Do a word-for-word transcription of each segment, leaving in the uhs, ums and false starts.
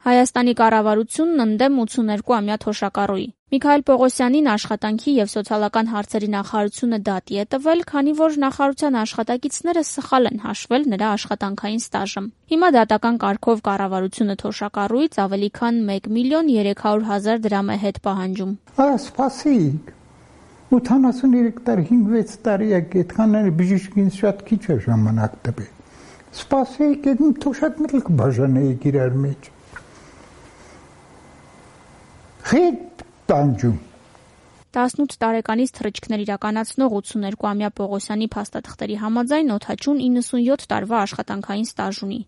Հայաստանի կառավարությունն ընդդեմ ութսուներկուամյա թոշակառուի։ Միքայել Պողոսյանին աշխատանքի և սոցիալական հարցերի նախարարությունը դատի է տվել, քանի որ նախարարության աշխատակիցները սխալ են հաշվել նրա աշխատանքային ստաժը։ Հիմա դատական կարգով կառավարությունը թոշակառուից ավելի քան մեկ միլիոն երեք հարյուր հազար դրամ է հետ պահանջում։ Սպասիկ, ութանասուներեք տարի, հինգ-վեց տարի է այդքան բժիշկին շատ քիչ է ժամանակ տվել։ Սպասիկ, այդ թոշակները կբաժանեիք իրար մեջ։ Խիտ տանջում։ տասնութ տարեկանից թռիչքներ իրականացնող ութսուներկուամյա Պողոսյանի փաստաթղթերի համաձայն օդաչուն իննսունյոթ տարվա աշխատանքային ստաժ ունի։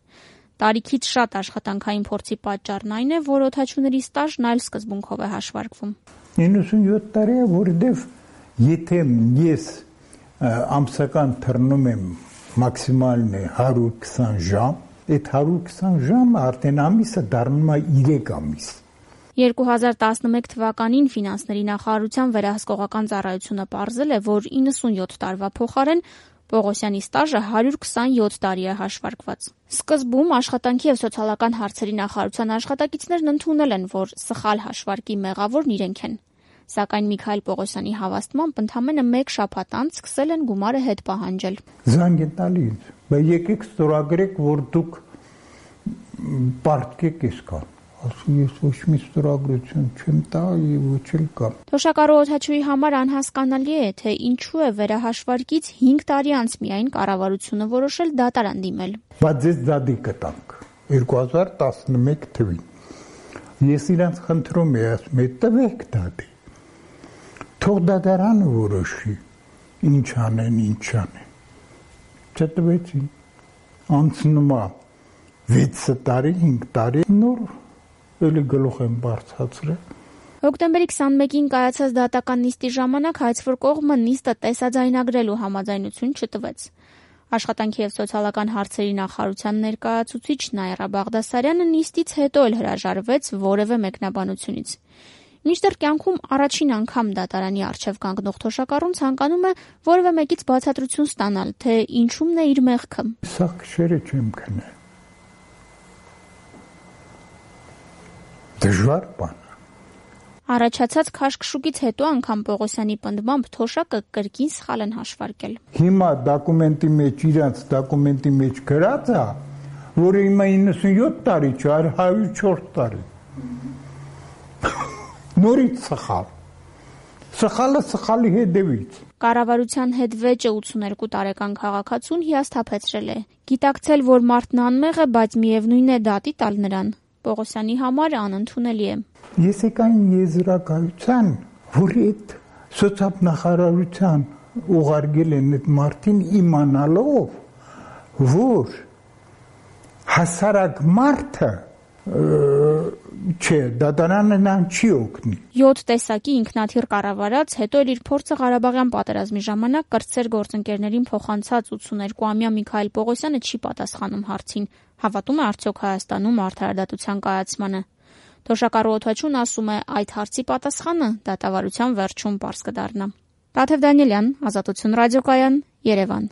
Տարիքից շատ աշխատանքային փորձի պատճառն այն է, որ օդաչուների ստաժն այլ սկզբունքով է հաշվարկվում։ իննսունյոթ տարի է, որովհետև եթե ես ամսական թռնում եմ մաքսիմալն է հարյուր քսան ժամ, այդ հարյուր քսան ժամը արդեն ամիսը դառնում է երեք ամիս։ երկու հազար տասնմեկ թվականին ֆինանսների նախարարության վերահսկողական ծառայությունը պարզել է, որ իննսունյոթ տարվա փոխարեն Պողոսյանի ստաժը հարյուր քսանյոթ տարի է հաշվարկված։ Սկզբում աշխատանքի և սոցիալական հարցերի նախարարության աշխատակիցներն ընդունել են, որ սխալ հաշվարկի մեղավորն իրենք են։ Սակայն Միքայել Պողոսյանի հավաստմամբ ընդամենը մեկ շաբաթ անց սկսել են գումարը հետ պահանջել։ Զանգ են տալի ինձ, բայց եկեք ստորագրեք, որ դուք պարտքեք այսքան։ Ասում ես ոչ մի ստորագրություն չեմ տա եւ ոչ էլ կամ։ Թոշակառու օդաչուի համար անհասկանալի է, թե ինչու է վերահաշվարկից հինգ տարի անց միայն կառավարությունը որոշել դատարան դիմել։ Բայց ես դատի կտանք երկու հազար տասնմեկ թվին։ Ես իրանց խնդրում եմ, ասում եմ, տվեք դատի։ Թող դատարանը որոշի ինչ անեն, ինչ անեն։ Չտվեցին։ Անցնում է վեց տարի, հինգ տարի նոր էլի գլուխ եմ բարձրացրել։ Հոկտեմբերի քսանմեկին կայացած դատական նիստի ժամանակ հայցվոր կողմը նիստը տեսաձայնագրելու համաձայնություն չտվեց։ Աշխատանքի և սոցիալական հարցերի նախարարության ներկայացուցիչ Նաիրա Բաղդասարյանը նիստից հետո էլ հրաժարվեց որևէ մեկնաբանությունից։ Մինչդեռ կյանքում առաջին անգամ դատարանի առջև կանգնող թոշակառուն ցանկանում է որևէ մեկից բացատրություն ստանալ, թե ինչումն է իր մեղքը։ Սա քշերը չեմ քնել։ Դժվար բան։ Առաջացած քաշքշուկից հետո անգամ Պողոսյանի պնդմամբ թոշակը կրկին սխալ են հաշվարկել։ Հիմա դոկումենտի մեջ իրանց դոկումենտի մեջ գրած է, որ հիմա իննսունյոթ տարի չէ, այլ հարյուր չորս տարի։ Նորից սխալ։ Սխալը սխալի հետևից։ Կառավարության հետ վեճը ութսուներկու տարեկան քաղաքացուն հիասթափեցրել է։ Գիտակցել, որ մարդն անմեղ է, բայց միևնույն է դատի տալ նրան։ Պողոսյանի համար անընդունելի է։ Ես եկային եզրակացության, որ այդ սոցիալնախարարության ուղարկել են այդ մարդին իմանալով, որ հասարակ մարդը չէ, դատարանը նրան չի օգնի։ յոթ տեսակի ինքնաթիռ կառավարած, հետո էլ իր փորձը Ղարաբաղյան պատերազմի ժամանակ կրտսեր գործընկերներին փոխանցած ութսուներկուամյա Միքայել Պողոսյանը չի պատասխանում հարցին, հավատում է արդյոք Հայաստանում արդարադատության կայացմանը։ Թոշակառու օդաչուն ասում է, այդ հարցի պատասխանը դատավարության վերջում պարզ կդառնա։ Տաթև Դանիելյան, Ազատություն ռադիոկայան, Երևան։